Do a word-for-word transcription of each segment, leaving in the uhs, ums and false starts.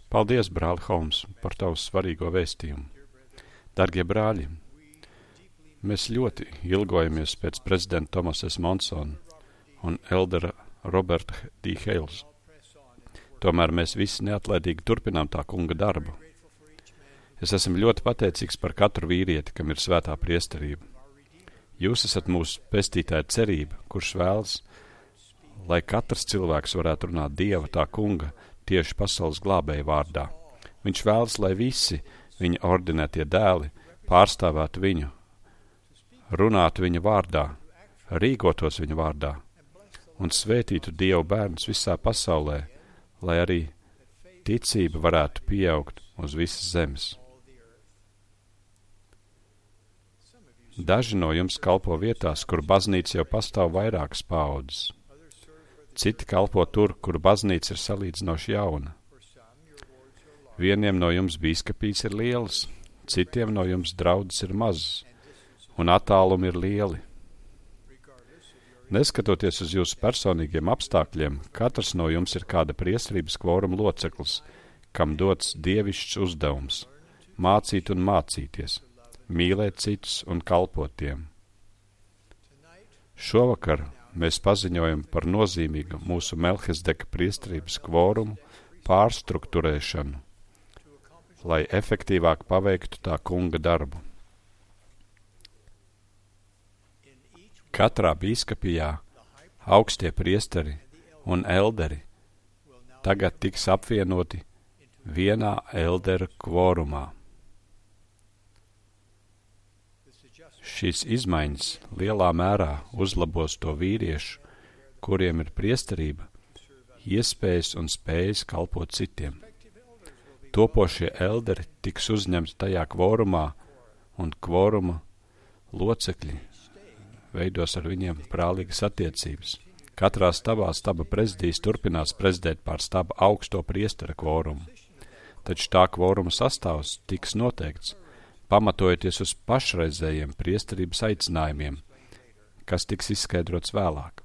Paldies, brāli Holmes, par tavu svarīgo vēstījumu. Dargie brāļi, mēs ļoti ilgojamies pēc prezidenta Thomas S. Monsona un eldera Roberta D. Hales. Tomēr mēs visi neatlaidīgi turpinām tā kunga darbu. Es esmu ļoti pateicīgs par katru vīrieti, kam ir svētā priesterība. Jūs esat mūsu pestītāja cerība, kurš vēlas, lai katrs cilvēks varētu runāt Dieva tā kunga tieši pasaules glābēja vārdā. Viņš vēlas, lai visi viņa ordinētie dēli pārstāvētu viņu, runātu viņa vārdā, rīkotos viņa vārdā un svētītu Dievu bērnus visā pasaulē, lai arī ticība varētu pieaugt uz visas zemes. Daži no jums kalpo vietās, kur baznīca jau pastāv vairākas paaudzes. Citi kalpo tur, kur baznīca ir salīdzinoši jauna. Vieniem no jums bīskapīs ir lielas, citiem no jums draudzes ir mazas, un attālumi ir lieli. Neskatoties uz jūsu personīgiem apstākļiem, katrs no jums ir kāda priesterības kvoruma loceklis, kam dots dievišķs uzdevums – mācīt un mācīties, mīlēt citus un kalpot tiem. Šovakar mēs paziņojam par nozīmīgu mūsu Melhizedeka priesterības kvorumu pārstrukturēšanu, lai efektīvāk paveiktu tā kunga darbu. Katrā bīskapijā augstie priesteri un elderi tagad tiks apvienoti vienā eldera kvorumā. Šīs izmaiņas lielā mērā uzlabos to vīriešu, kuriem ir priesterība, iespējas un spējas kalpot citiem. Topošie elderi tiks uzņemti tajā kvorumā, un kvoruma locekļi veidos ar viņiem brālīgas attiecības. Katrā stabā staba prezidijs turpinās prezidēt pār staba augsto priestera kvorumu, taču tā kvoruma sastāvs tiks noteikts, pamatojoties uz pašreizējiem priesterības aicinājumiem, kas tiks izskaidrots vēlāk.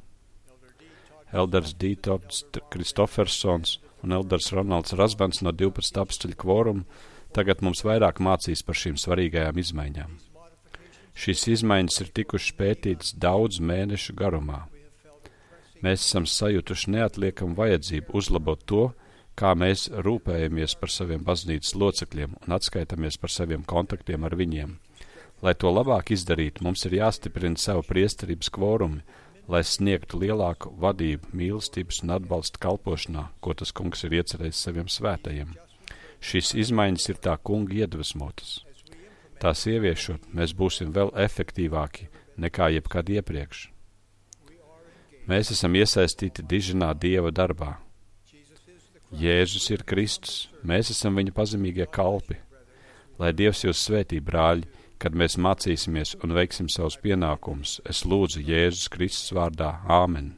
Elders Dītords Kristofersons un elders Ronalds Rasbans no divpadsmit apstuļu kvorumu tagad mums vairāk mācīs par šīm svarīgajām izmaiņām. Šīs izmaiņas ir tikušas pētītas daudz mēnešu garumā. Mēs esam sajutuši neatliekamu vajadzību uzlabot to, kā mēs rūpējamies par saviem baznīcas locekļiem un atskaitamies par saviem kontaktiem ar viņiem. Lai to labāk izdarītu, mums ir jāstiprina savu priesterības kvorumi, lai sniegtu lielāku vadību, mīlestības un atbalstu kalpošanā, ko tas kungs ir iecerējis saviem svētajiem. Šīs izmaiņas ir tā kunga iedvesmotas. Tās ieviešot, mēs būsim vēl efektīvāki nekā jebkad iepriekš. Mēs esam iesaistīti diženā Dieva darbā. Jēzus ir Kristus, mēs esam viņa pazemīgie kalpi. Lai Dievs jūs svētī, brāļi, kad mēs mācīsimies un veiksim savus pienākumus, es lūdzu Jēzus Kristus vārdā. Āmen.